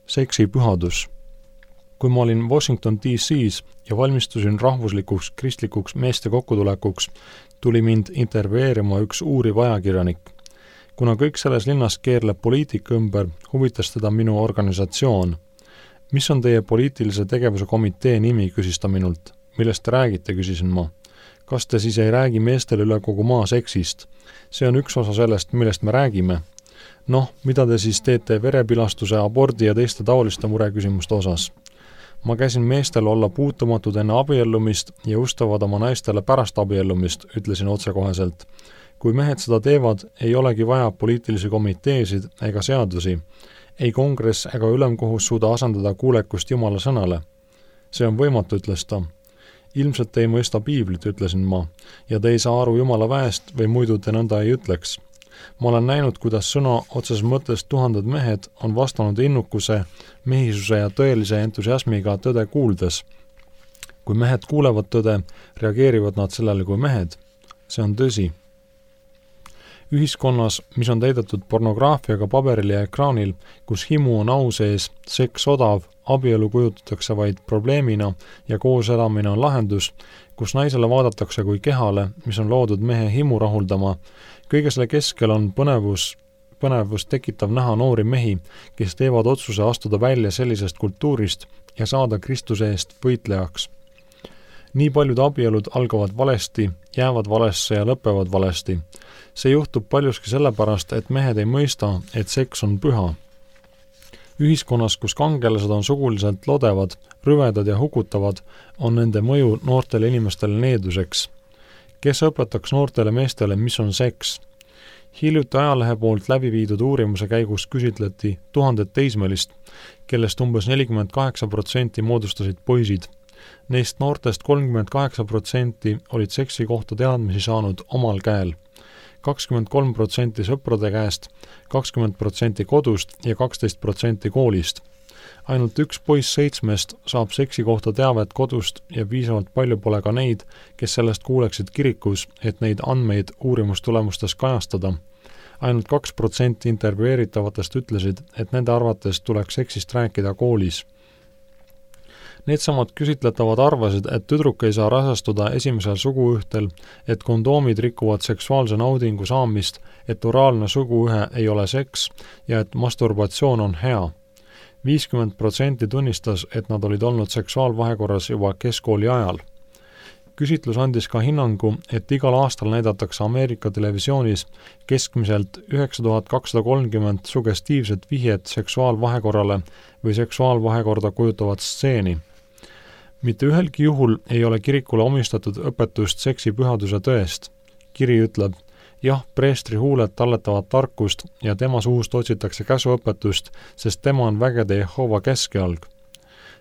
Seksi pühadus. Kui ma olin Washington D.C.s ja valmistusin rahvuslikuks kristlikuks meeste kokkutulekuks, tuli mind intervjueerima üks uuriv ajakirjanik. Kuna kõik selles linnas keerleb poliitika ümber, huvitas teda minu organisatsioon. Mis on teie poliitilise tegevuse komitee nimi, küsis ta minult. Millest te räägite, küsisin ma. Kas te siis ei räägi meestele üle kogu maa seksist? See on üks osa sellest, millest me räägime. Noh, mida te siis teete verepilastuse, abordi ja teiste taoliste mureküsimuste osas? Ma käisin meestel olla puutumatud enne abiellumist ja ustavad oma naistele pärast abiellumist, ütlesin otsekoheselt. Kui mehed seda teevad, ei olegi vaja poliitilisi komiteesid ega seadusi. Ei kongress ega ülemkohus suuda asendada kuulekust Jumala sõnale. See on võimatu, ütles ta. Ilmselt ei mõista piiblit, ütlesin ma, ja te ei saa aru Jumala väest või muidu te nõnda ei ütleks. Ma olen näinud, kuidas sõna otses mõttes tuhanded mehed on vastanud innukuse, mehisuse ja tõelise entusiasmiga tõde kuuldes. Kui mehed kuulevad tõde, reageerivad nad sellele kui mehed. See on tõsi. Ühiskonnas, mis on täidetud pornograafiaga paberil ja ekraanil, kus himu on au sees, seks odav, abielu kujutatakse vaid probleemina ja koos elamine on lahendus, kus naisele vaadatakse kui kehale, mis on loodud mehe himu rahuldama, kõige selle keskel on põnevus tekitav näha noori mehi, kes teevad otsuse astuda välja sellisest kultuurist ja saada Kristuse eest võitlejaks. Nii paljud abielud algavad valesti, jäävad valesse ja lõpevad valesti. See juhtub paljuski sellepärast, et mehed ei mõista, et seks on püha. Ühiskonnas, kus kangelased on suguliselt lodevad, rüvedad ja hukutavad, on nende mõju noortele inimestele needuseks. Kes õpetaks noortele meestele, mis on seks? Hiljuti ajalehe poolt läbi viidud uurimuse käigus küsitleti 1000 teismelist, kellest umbes 48% moodustasid poisid. Neist noortest 38% olid seksi kohta teadmisi saanud omal käel. 23% sõprade käest, 20% kodust ja 12% koolist. Ainult üks poiss 7 saab seksi kohta teavet kodust ja piisavalt palju pole ka neid, kes sellest kuuleksid kirikus, et neid andmeid uurimustulemustes kajastada. Ainult 2% intervjueeritavatest ütlesid, et nende arvates tuleks seksist rääkida koolis. Needsamad küsitletavad arvasid, et tüdruk ei saa rasestuda esimesel suguühtel, et kondoomid rikuvad seksuaalse naudingu saamist, et oraalne suguühe ei ole seks ja et masturbatsioon on hea. 50% tunnistas, et nad olid olnud seksuaalvahekorras juba keskkooli ajal. Küsitlus andis ka hinnangu, et igal aastal näidatakse Ameerika televisioonis keskmiselt 9230 sugestiivset vihjet seksuaalvahekorrale või seksuaalvahekorda kujutavat stseeni. Mitte ühelgi juhul ei ole kirikule omistatud õpetust seksi pühaduse tõest. Kiri ütleb, jah, preestri huuled talletavad tarkust ja tema suust otsitakse käsuõpetust, sest tema on vägede Jehova keskealg.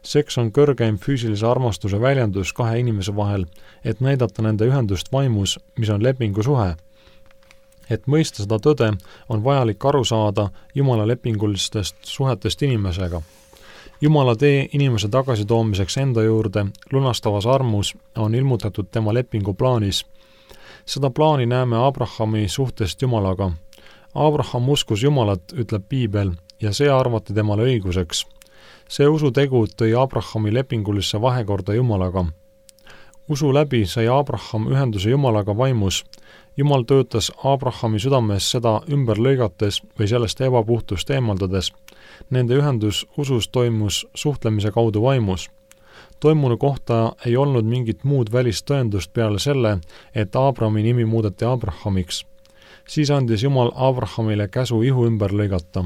Seks on kõrgeim füüsilise armastuse väljendus kahe inimese vahel, et näidata nende ühendust vaimus, mis on lepingusuhe. Et mõista seda tõde, on vajalik aru saada Jumala lepingulistest suhetest inimesega. Jumala tee inimese tagasitoomiseks enda juurde lunastavas armus on ilmutatud tema lepingu plaanis. Seda plaani näeme Abrahami suhtest Jumalaga. Abraham uskus Jumalat, ütleb Piibel, ja see arvati temale õiguseks. See usutegu tõi Abrahami lepingulisse vahekorda Jumalaga. Usu läbi sai Abraham ühenduse Jumalaga vaimus. Jumal töötas Abrahami südames seda ümber lõigates või sellest ebapuhtust eemaldades. Nende ühendus usus toimus suhtlemise kaudu vaimus. Toimunu kohta ei olnud mingit muud välist tõendust peale selle, et Abrahami nimi muudeti Abrahamiks. Siis andis Jumal Abrahamile käsu ihu ümber lõigata.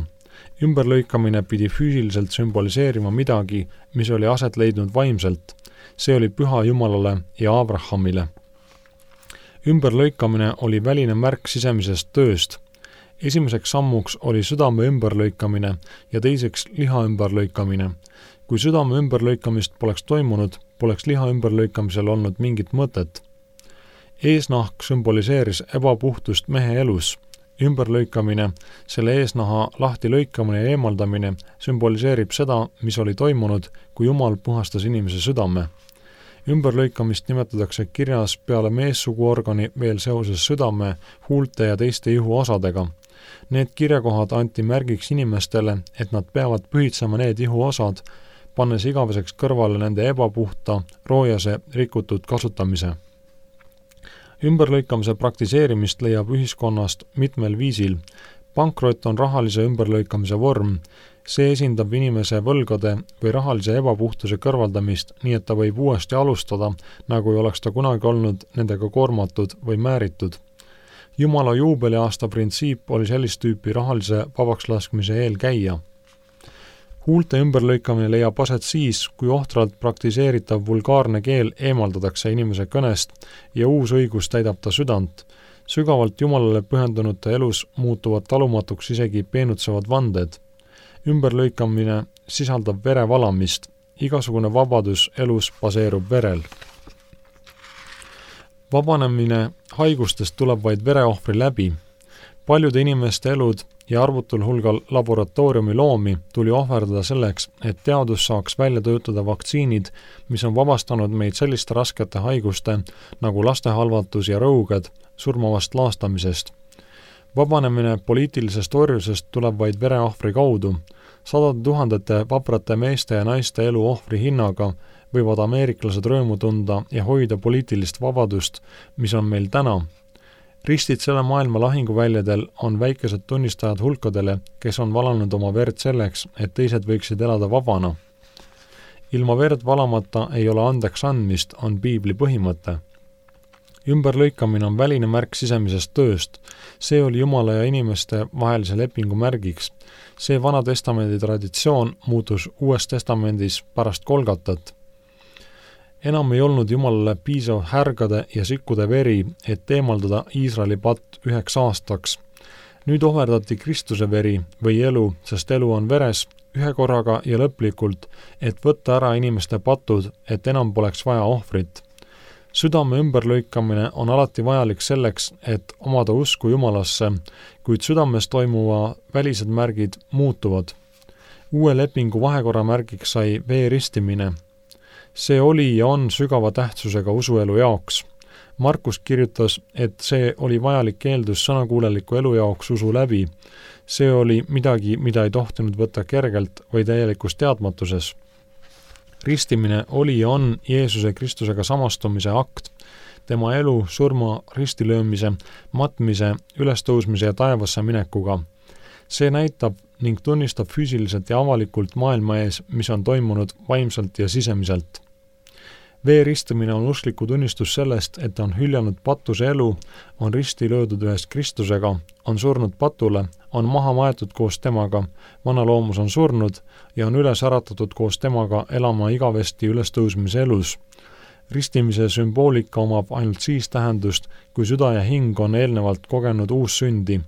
Ümberlõikamine pidi füüsiliselt sümboliseerima midagi, mis oli aset leidnud vaimselt. See oli püha Jumalale ja Abrahamile. Ümberlõikamine oli väline märk sisemisest tööst. Esimeseks sammuks oli südame ümberlõikamine ja teiseks liha ümberlõikamine. Kui südame ümberlõikamist poleks toimunud, poleks liha ümberlõikamisel olnud mingit mõtet. Eesnahk sümboliseeris ebapuhtust mehe elus. Ümberlõikamine, selle eesnaha lahti lõikamine ja eemaldamine sümboliseerib seda, mis oli toimunud, kui Jumal puhastas inimese südame. Ümberlõikamist nimetatakse kirjas peale meessuguorgani veel seoses südame, huulte ja teiste ihuosadega. Need kirjakohad anti märgiks inimestele, et nad peavad pühitsema need ihuosad, pannes igaveseks kõrvale nende ebapuhta, roojase, rikutud kasutamise. Ümberlõikamise praktiseerimist leiab ühiskonnast mitmel viisil. Pankrot on rahalise ümberlõikamise vorm. See esindab inimese võlgade või rahalise ebapuhtuse kõrvaldamist, nii et ta võib uuesti alustada, nagu ei oleks ta kunagi olnud nendega koormatud või määritud. Jumala juubeliaasta printsiip oli sellist tüüpi rahalise vabakslaskmise eelkäija. Huulte ümberlõikamine leiab aset siis, kui ohtralt praktiseeritav vulgaarne keel eemaldatakse inimese kõnest ja uus õigus täidab ta südant. Sügavalt Jumalale pühendunute elus muutuvad talumatuks isegi peenutsevad vanded. Ümberlõikamine sisaldab vere valamist. Igasugune vabadus elus baseerub verel. Vabanemine haigustest tuleb vaid vereohvri läbi. Paljude inimeste elud ja arvutul hulgal laboratooriumi loomi tuli ohverdada selleks, et teadus saaks välja töötada vaktsiinid, mis on vabastanud meid selliste raskete haiguste nagu lastehalvatus ja rõuged surmavast laastamisest. Vabanemine poliitilisest orjusest tuleb vaid vereohvri kaudu. 100 000 vaprate meeste ja naiste elu ohvri hinnaga võivad ameeriklased rõõmu tunda ja hoida poliitilist vabadust, mis on meil täna. Ristid selle maailma lahinguväljadel on väikesed tunnistajad hulkadele, kes on valanud oma verd selleks, et teised võiksid elada vabana. Ilma verd valamata ei ole andeks andmist, on piibli põhimõte. Ümberlõikamine on väline märk sisemisest tööst. See oli Jumala ja inimeste vahelise lepingu märgiks. See Vana Testamendi traditsioon muutus Uues Testamendis pärast Golgatat. Enam ei olnud Jumalale piisav härgade ja sikkude veri, et eemaldada Iisraeli patt 1 aastaks. Nüüd ohverdati Kristuse veri või elu, sest elu on veres, ühe korraga ja lõplikult, et võtta ära inimeste patud, et enam poleks vaja ohvrit. Südame ümberlõikamine on alati vajalik selleks, et omada usku Jumalasse, kuid südames toimuva välised märgid muutuvad. Uue lepingu vahekorra märgiks sai vee ristimine. See oli ja on sügava tähtsusega usuelu jaoks. Markus kirjutas, et see oli vajalik eeldus sõnakuuleliku elu jaoks usu läbi. See oli midagi, mida ei tohtinud võtta kergelt või täielikus teadmatuses. Ristimine oli ja on Jeesuse Kristusega samastumise akt. Tema elu, surma, ristilöömise, matmise, ülestõusmise ja taevasse minekuga. See näitab ning tunnistab füüsiliselt ja avalikult maailma ees, mis on toimunud vaimselt ja sisemiselt. Vee ristimine on uskliku tunnistus sellest, et on hüljanud patuse elu, on risti löödud ühes Kristusega, on surnud patule, on maha maetud koos temaga, vana loomus on surnud ja on üles äratatud koos temaga elama igavesti ülestõusmise elus. Ristimise sümboolika omab ainult siis tähendust, kui süda ja hing on eelnevalt kogenud uus sündi.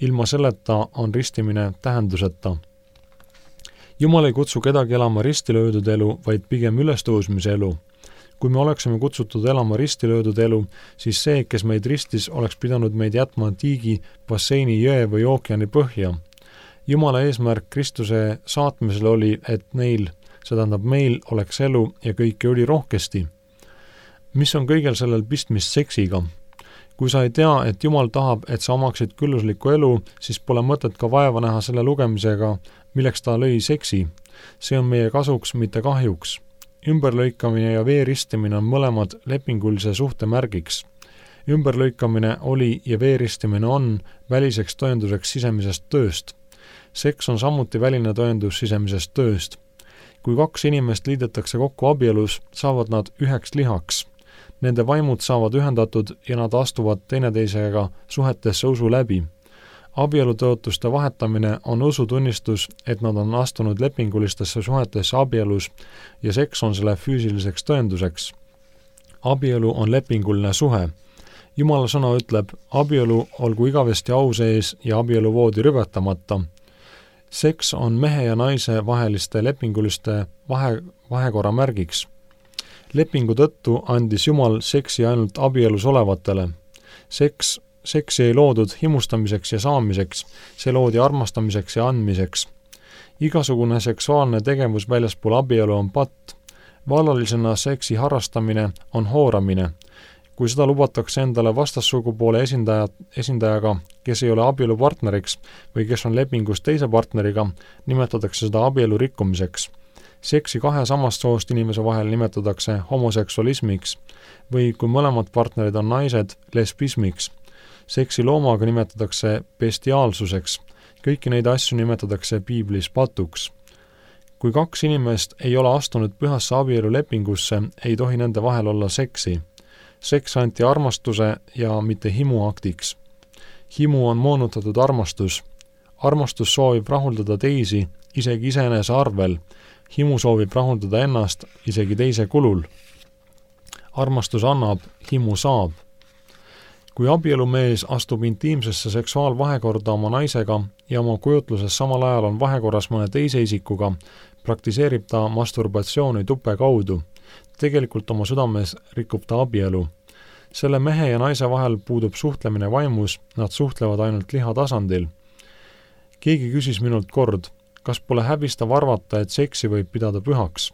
Ilma selleta on ristimine tähenduseta. Jumal ei kutsu kedagi elama ristilöödud elu, vaid pigem ülestõusmise elu. Kui me oleksime kutsutud elama ristilöödud elu, siis see, kes meid ristis, oleks pidanud meid jätma tiigi, basseini, jõe või ookeani põhja. Jumala eesmärk Kristuse saatmisel oli, et neil, see tähendab meil, oleks elu ja kõike oli rohkesti. Mis on kõigel sellel pistmist seksiga? Kui sa ei tea, et Jumal tahab, et sa omaksid külluslikku elu, siis pole mõtet ka vaeva näha selle lugemisega, milleks ta lõi seksi. See on meie kasuks, mitte kahjuks. Ümberlõikamine ja vee ristimine on mõlemad lepingulise suhte märgiks. Ümberlõikamine oli ja vee ristimine on väliseks tõenduseks sisemisest tööst. Seks on samuti väline tõendus sisemisest tööst. Kui 2 inimest liidetakse kokku abielus, saavad nad üheks lihaks. Nende vaimud saavad ühendatud ja nad astuvad teineteisega suhetesse usu läbi. Abielutõotuste vahetamine on usutunnistus, et nad on astunud lepingulistesse suhetesse abielus ja seks on selle füüsiliseks tõenduseks. Abielu on lepinguline suhe. Jumala sõna ütleb, abielu olgu igavesti au sees ja abieluvoodi rüvetamata. Seks on mehe ja naise vaheliste lepinguliste vahekorra märgiks. Lepingu tõttu andis Jumal seksi ainult abielus olevatele. Seksi ei loodud himustamiseks ja saamiseks, see loodi armastamiseks ja andmiseks. Igasugune seksuaalne tegevus väljaspool abielu on patt. Vallalisena seksi harrastamine on hooramine. Kui seda lubatakse endale vastassugupoole esindajaga, kes ei ole abielupartneriks või kes on lepingus teise partneriga, nimetatakse seda abielu rikkumiseks. Seksi kahe samast soost inimese vahel nimetatakse homoseksualismiks või kui mõlemad partnerid on naised, lesbismiks. Seksi loomaga nimetatakse bestiaalsuseks. Kõiki neid asju nimetatakse piiblis patuks. Kui kaks inimest ei ole astunud pühasse abielulepingusse, ei tohi nende vahel olla seksi. Seks anti armastuse ja mitte himuaktiks. Himu on moonutatud armastus. Armastus soovib rahuldada teisi, isegi iseenese arvel. Himu soovib rahuldada ennast, isegi teise kulul. Armastus annab, himu saab. Kui abielumees astub intiimsesse seksuaalvahekorda oma naisega ja oma kujutluses samal ajal on vahekorras mõne teise isikuga, praktiseerib ta masturbatsiooni tupe kaudu. Tegelikult oma südames rikub ta abielu. Selle mehe ja naise vahel puudub suhtlemine vaimus, nad suhtlevad ainult liha tasandil. Keegi küsis minult kord, kas pole häbistav arvata, et seksi võib pidada pühaks?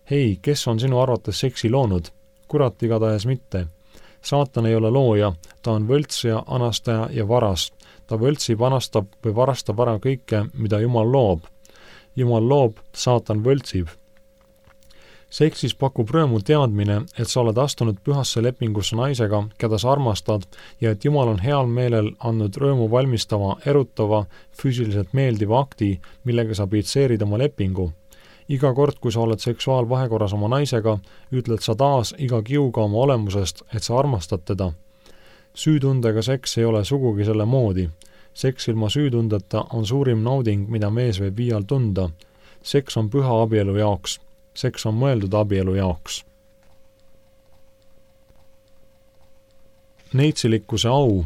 Hei, kes on sinu arvates seksi loonud? Kurat igatahes mitte. Saatan ei ole looja, ta on võltsija, anastaja ja varas. Ta võltsib, anastab või varastab ära kõike, mida Jumal loob. Jumal loob, saatan võltsib. Seksis pakub rõõmu teadmine, et sa oled astunud pühasse lepingusse naisega, keda sa armastad ja et Jumal on heal meelel andnud rõõmu valmistava, erutava, füüsiliselt meeldiva akti, millega sa pitseerid oma lepingu. Iga kord, kui sa oled seksuaalvahekorras oma naisega, ütled sa taas iga kiuga oma olemusest, et sa armastad teda. Süütundega seks ei ole sugugi selle moodi. Seks ilma süütundeta on suurim nauding, mida mees võib viial tunda. Seks on püha abielu jaoks. Seks on mõeldud abielu jaoks. Neitsilikkuse au.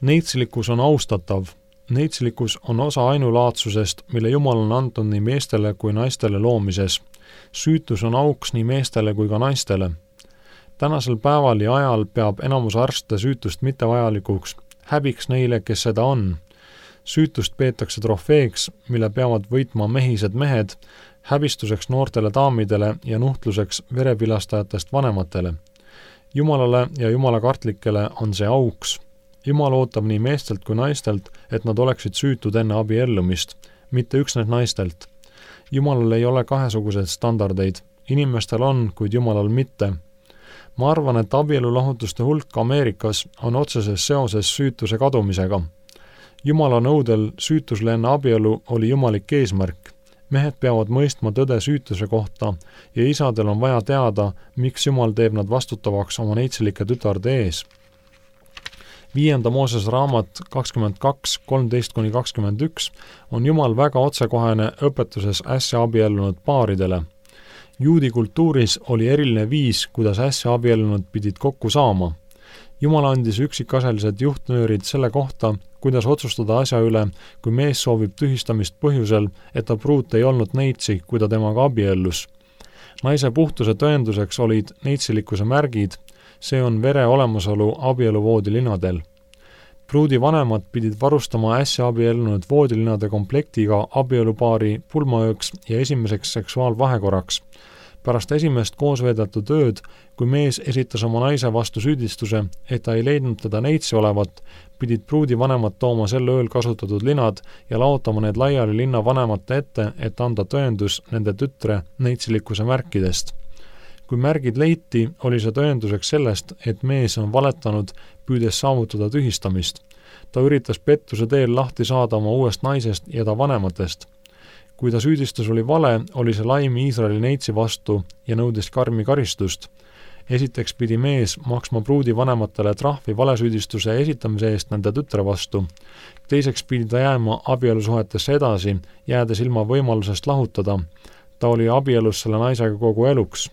Neitsilikus on austatav. Neitsilikus on osa ainulaadsusest, mille Jumal on andnud nii meestele kui naistele loomises. Süütus on auks nii meestele kui ka naistele. Tänasel päeval ja ajal peab enamus arste süütust mittevajalikuks. Häbiks neile, kes seda on. Süütust peetakse trofeeks, mille peavad võitma mehised mehed, häbistuseks noortele daamidele ja nuhtluseks verepilastajatest vanematele. Jumalale ja jumalakartlikele on see auks. Jumal ootab nii meestelt kui naistelt, et nad oleksid süütud enne abiellumist, mitte üksnes naistelt. Jumalal ei ole kahesuguseid standardeid. Inimestel on, kuid Jumalal mitte. Ma arvan, et abielulahutuste hulk Ameerikas on otseses seoses süütuse kadumisega. Jumala nõudel süütusle enne abielu oli jumalik eesmärk. Mehed peavad mõistma tõde süütuse kohta ja isadel on vaja teada, miks Jumal teeb nad vastutavaks oma neitsilike tütarde ees. 5. Mooses raamat 22:13-21 on Jumal väga otsekohene õpetuses äsja abiellunud paaridele. Juudi kultuuris oli eriline viis, kuidas äsja abiellunud pidid kokku saama. Jumal andis üksikasjalised juhtnöörid selle kohta, kuidas otsustada asja üle, kui mees soovib tühistamist põhjusel, et ta pruut ei olnud neitsi, kui ta temaga abiellus. Naise puhtuse tõenduseks olid neitsilikkuse märgid, see on vere olemasolu abieluvoodilinadel. Pruudi vanemad pidid varustama äsja abiellunud voodilinade komplektiga abielupaari pulmaööks ja esimeseks seksuaalvahekorraks. Pärast esimest koosveedetud ööd, kui mees esitas oma naise vastu süüdistuse, et ta ei leidnud teda neitsi olevat, pidid pruudi vanemad tooma sel ööl kasutatud linad ja laotama need laiali linna vanemate ette, et anda tõendus nende tütre neitsilikkuse märkidest. Kui märgid leiti, oli see tõenduseks sellest, et mees on valetanud, püüdes saavutada tühistamist. Ta üritas pettuse teel lahti saada oma uuest naisest ja ta vanematest. Kui ta süüdistus oli vale, oli see laim Iisraeli neitsi vastu ja nõudis karmi karistust. Esiteks pidi mees maksma pruudi vanematele trahvi valesüüdistuse esitamise eest nende tütre vastu. Teiseks pidi ta jääma abielusuhetesse edasi, jäädes ilma võimalusest lahutada. Ta oli abielus selle naisega kogu eluks.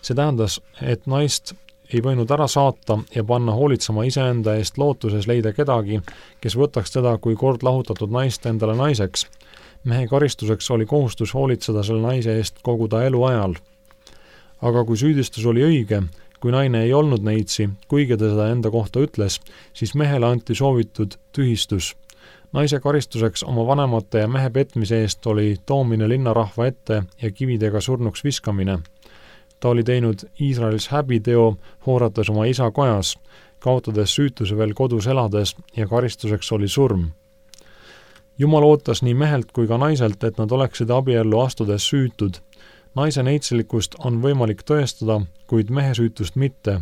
See tähendas, et naist ei võinud ära saata ja panna hoolitsema iseenda eest lootuses leida kedagi, kes võtaks teda kui kord lahutatud naist endale naiseks. Mehe karistuseks oli kohustus hoolitseda selle naise eest kogu ta elu ajal. Aga kui süüdistus oli õige, kui naine ei olnud neitsi, kuigi ta seda enda kohta ütles, siis mehele anti soovitud tühistus. Naise karistuseks oma vanemate ja mehe petmise eest oli toomine linnarahva ette ja kividega surnuks viskamine. ta oli teinud Iisraelis häbiteo, hoorates oma isa kojas, kaotades süütuse veel kodus elades ja karistuseks oli surm. Jumal ootas nii mehelt kui ka naiselt, et nad oleksid abiellu astudes süütud. Naise neitsilikkust on võimalik tõestada, kuid mehe süütust mitte.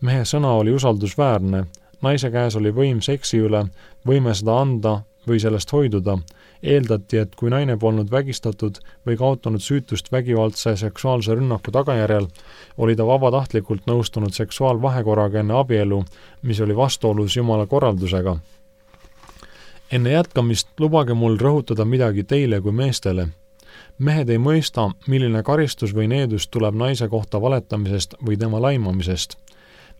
Mehe sõna oli usaldusväärne. Naise käes oli võim seksi üle, võime seda anda või sellest hoiduda. Eeldati, et kui naine polnud vägistatud või kaotanud süütust vägivaldse seksuaalse rünnaku tagajärjel, oli ta vabatahtlikult nõustunud seksuaalvahekorraga enne abielu, mis oli vastuolus Jumala korraldusega. Enne jätkamist lubage mul rõhutada midagi teile kui meestele. Mehed ei mõista, milline karistus või needus tuleb naise kohta valetamisest või tema laimamisest.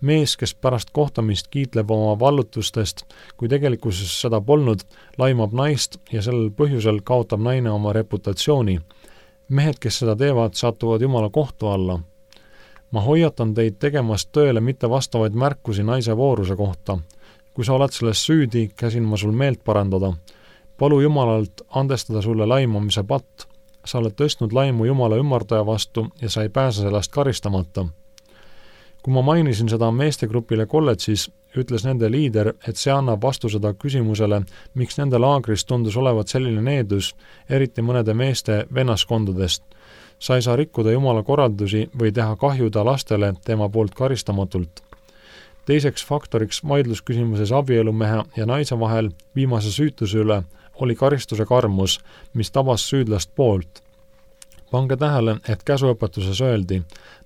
Mees, kes pärast kohtamist kiitleb oma vallutustest, kui tegelikkuses seda polnud, laimab naist ja sellel põhjusel kaotab naine oma reputatsiooni. Mehed, kes seda teevad, satuvad Jumala kohtu alla. Ma hoiatan teid tegemast tõele mitte vastavaid märkusi naise vooruse kohta. Kui sa oled selles süüdi, käsin ma sul meelt parandada. Palu Jumalalt andestada sulle laimamise patt. Sa oled tõstnud laimu Jumala ümardaja vastu ja sa ei pääse sellest karistamata. Kui ma mainisin seda meestegrupile kolledžis, ütles nende liider, et see annab vastu seda küsimusele, miks nende laagris tundus olevat selline needus, eriti mõnede meeste vennaskondadest. Sa ei saa rikkuda Jumala korraldusi või teha kahjuda lastele tema poolt karistamatult. Teiseks faktoriks vaidlusküsimuses abielumehe ja naise vahel viimase süütuse üle oli karistuse karmus, mis tabas süüdlast poolt. Pange tähele, et käsuõpetuses öeldi,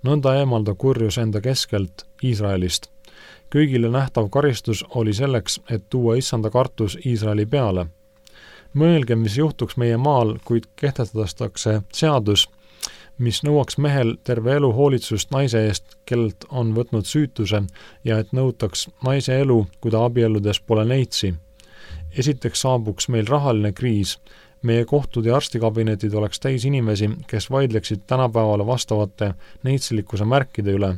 nõnda eemalda kurjus enda keskelt Iisraelist. Kõigile nähtav karistus oli selleks, et tuua issanda kartus Iisraeli peale. Mõelge, mis juhtuks meie maal, kuid kehtestatakse seadus, mis nõuaks mehel terve elu hoolitsust naise eest, kellelt on võtnud süütuse ja et nõutaks naise elu, kui ta abielludes pole neitsi. Esiteks saabuks meil rahaline kriis. Meie kohtud ja arstikabinetid oleks täis inimesi, kes vaidleksid tänapäevale vastavate neitsilikkuse märkide üle.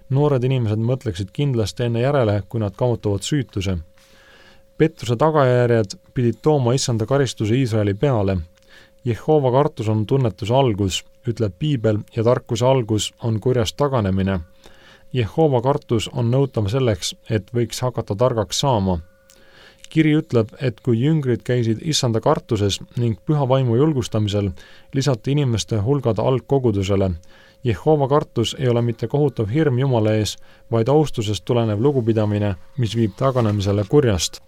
Noored inimesed mõtleksid kindlasti enne järele, kui nad kaotavad süütuse. Pettuse tagajärjed pidid tooma issanda karistuse Iisraeli peale. Jehova kartus on tunnetuse algus, ütleb Piibel, ja tarkuse algus on kurjast taganemine. Jehova kartus on nõutav selleks, et võiks hakata targaks saama. Kiri ütleb, et kui jüngrid käisid issanda kartuses ning püha vaimu julgustamisel, lisati inimeste hulgad algkogudusele. Jehova kartus ei ole mitte kohutav hirm Jumala ees, vaid austusest tulenev lugupidamine, mis viib taganemisele kurjast.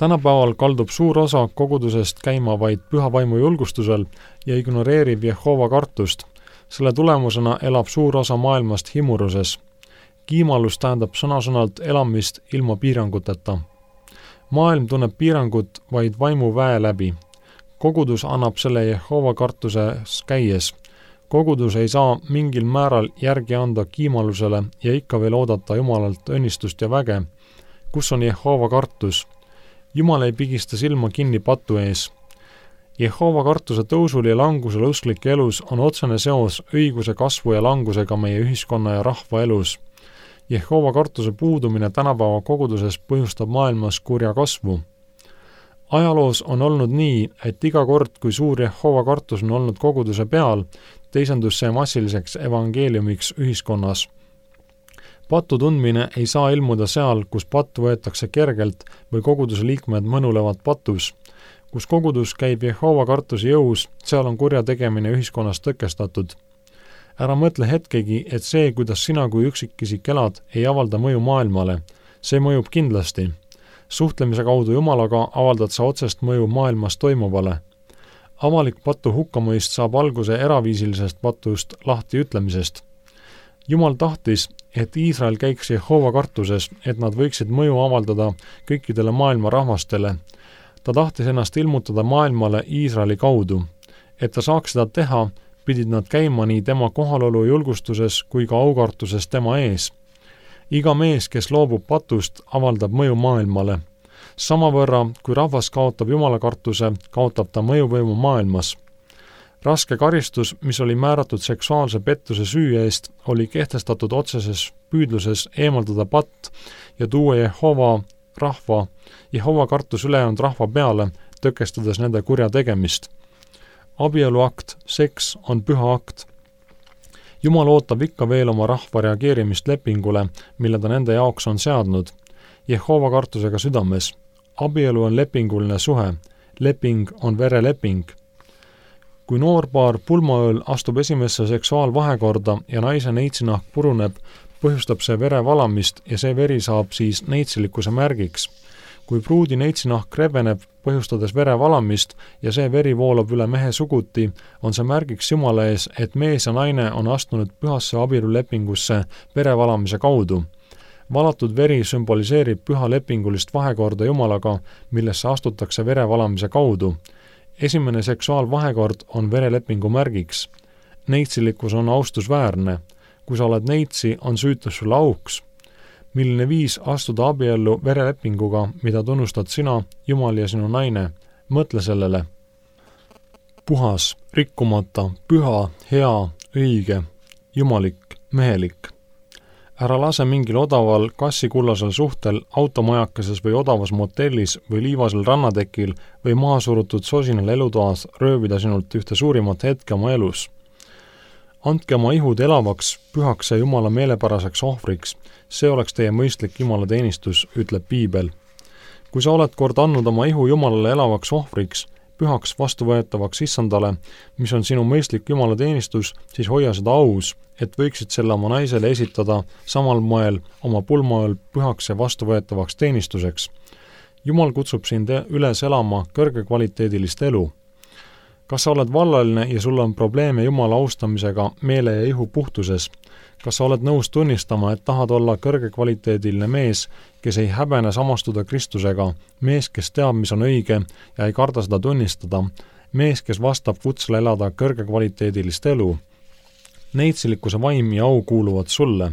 Tänapäeval kaldub suur osa kogudusest käima vaid püha vaimu julgustusel ja ignoreerib Jehova kartust. Selle tulemusena elab suur osa maailmast himuruses. Kiimalus tähendab sõna-sõnalt elamist ilma piiranguteta. Maailm tunneb piirangut vaid vaimu väe läbi. Kogudus annab selle Jehova kartuses käies. Kogudus ei saa mingil määral järgi anda kiimalusele ja ikka veel oodata Jumalalt õnnistust ja väge. Kus on Jehova kartus? Jumal ei pigista silma kinni patu ees. Jehova kartuse tõusul ja langusel usklike elus on otsene seos õiguse kasvu ja langusega meie ühiskonna ja rahva elus. Jehova kartuse puudumine tänapäeva koguduses põhjustab maailmas kurja kasvu. Ajaloos on olnud nii, et iga kord, kui suur Jehova kartus on olnud koguduse peal, teisendus see massiliseks evangeeliumiks ühiskonnas. Pattu tundmine ei saa ilmuda seal, kus pattu võetakse kergelt või koguduse liikmed mõnulevad patus. Kus kogudus käib Jehova kartuse jõus, seal on kurja tegemine ühiskonnas tõkestatud. Ära mõtle hetkegi, et see, kuidas sina kui üksikisik elad, ei avalda mõju maailmale. See mõjub kindlasti. Suhtlemise kaudu Jumalaga avaldad sa otsest mõju maailmas toimuvale. Avalik patu hukkamõist saab alguse eraviisilisest patust lahti ütlemisest. Jumal tahtis, et Iisrael käiks Jehova kartuses, et nad võiksid mõju avaldada kõikidele maailma rahvastele. Ta tahtis ennast ilmutada maailmale Iisraeli kaudu. Et ta saaks seda teha, pidid nad käima nii tema kohalolu julgustuses kui ka aukartuses tema ees. Iga mees, kes loobub patust, avaldab mõju maailmale. Samavõrra, kui rahvas kaotab Jumala kartuse, kaotab ta mõjuvõimu maailmas. Raske karistus, mis oli määratud seksuaalse pettuse süü eest, oli kehtestatud otseses püüdluses eemaldada patt ja tuua Jehova kartus ülejäänud rahva peale, tõkestades nende kurja tegemist. Abieluakt, seks on püha akt. Jumal ootab ikka veel oma rahva reageerimist lepingule, mille ta nende jaoks on seadnud. Jehova kartusega südames. Abielu on lepinguline suhe. Leping on vereleping. Kui noorpaar pulmaööl astub esimesse seksuaalvahekorda ja naise neitsinahk puruneb, põhjustab see verevalamist ja see veri saab siis neitsilikkuse märgiks. Kui pruudi neitsinahk rebeneb, põhjustades verevalamist ja see veri voolab üle mehe suguti, on see märgiks Jumala ees, et mees ja naine on astunud pühasse abielulepingusse verevalamise kaudu. Valatud veri sümboliseerib püha lepingulist vahekorda Jumalaga, millesse astutakse verevalamise kaudu. Esimene seksuaalvahekord on verelepingu märgiks. Neitsillikkus on austusväärne. Kui sa oled neitsi, on süütus sulle auks. Milline viis astuda abiellu verelepinguga, mida tunnustad sina, Jumal ja sinu naine? Mõtle sellele. Puhas, rikkumata, püha, hea, õige, jumalik, mehelik. Ära lase mingil odaval kassikullasel suhtel, automajakases või odavas motellis või liivasel rannatekil või mahasurutud sosinal elutoas röövida sinult ühte suurimat hetke oma elus. Andke oma ihud elavaks, pühaks ja Jumala meelepäraseks ohvriks. See oleks teie mõistlik Jumala teenistus, ütleb Piibel. Kui sa oled kord andnud oma ihu Jumalale elavaks ohvriks, pühaks vastuvõetavaks issandale, mis on sinu mõistlik Jumala teenistus, siis hoia seda aus, et võiksid selle oma naisele esitada samal moel oma pulmaööl pühaks ja vastuvõetavaks teenistuseks. Jumal kutsub sind üles elama kõrgekvaliteedilist elu. Kas sa oled vallaline ja sul on probleeme Jumala austamisega meele ja ihu puhtuses? Kas sa oled nõus tunnistama, et tahad olla kõrgekvaliteediline mees, kes ei häbene samastuda Kristusega, mees, kes teab, mis on õige ja ei karda seda tunnistada, mees, kes vastab kutsele elada kõrgekvaliteedilist elu? Neitsilikkuse vaim ja au kuuluvad sulle.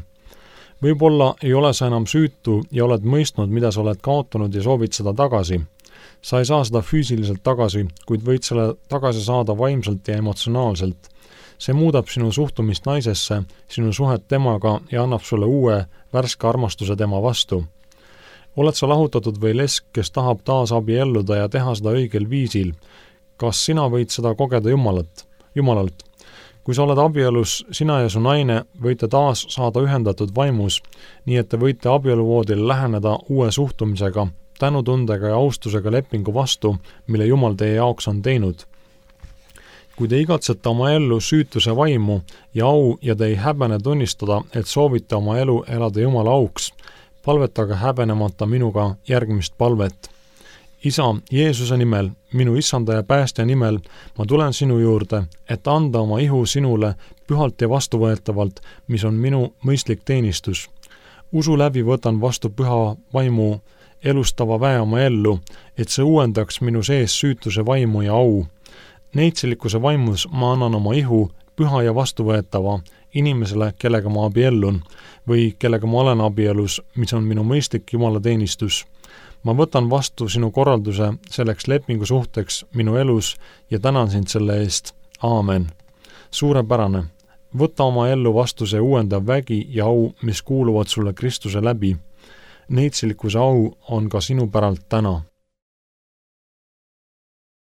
Võib-olla ei ole sa enam süütu ja oled mõistnud, mida sa oled kaotanud ja soovid seda tagasi. Sa ei saa seda füüsiliselt tagasi, kuid võid selle tagasi saada vaimselt ja emotsionaalselt. See muudab sinu suhtumist naisesse, sinu suhet temaga ja annab sulle uue, värske armastuse tema vastu. Oled sa lahutatud või lesk, kes tahab taas abielluda ja teha seda õigel viisil? Kas sina võid seda kogeda Jumalalt? Kui sa oled abielus, sina ja su naine võite taas saada ühendatud vaimus, nii et te võite abieluvoodile läheneda uue suhtumisega, tänutundega ja austusega lepingu vastu, mille Jumal teie jaoks on teinud. Kui te igatsete oma ellu süütuse vaimu ja au ja te ei häbene tunnistada, et soovite oma elu elada Jumala auks, palvetage häbenemata minuga järgmist palvet. Isa, Jeesuse nimel, minu issanda ja päästja nimel, ma tulen sinu juurde, et anda oma ihu sinule pühalt ja vastuvõetavalt, mis on minu mõistlik teenistus. Usu läbi võtan vastu püha vaimu elustava väe oma ellu, et see uuendaks minu sees süütuse vaimu ja au. Neitsilikkuse vaimus ma annan oma ihu püha ja vastuvõetava inimesele, kellega ma abiellun või kellega ma olen abielus, mis on minu mõistlik Jumala teenistus. Ma võtan vastu sinu korralduse selleks lepingu suhteks minu elus ja tänan sind selle eest. Aamen. Suurepärane. Võta oma ellu vastu see uuendav vägi ja au, mis kuuluvad sulle Kristuse läbi. Neitsilikkuse au on ka sinu päralt täna.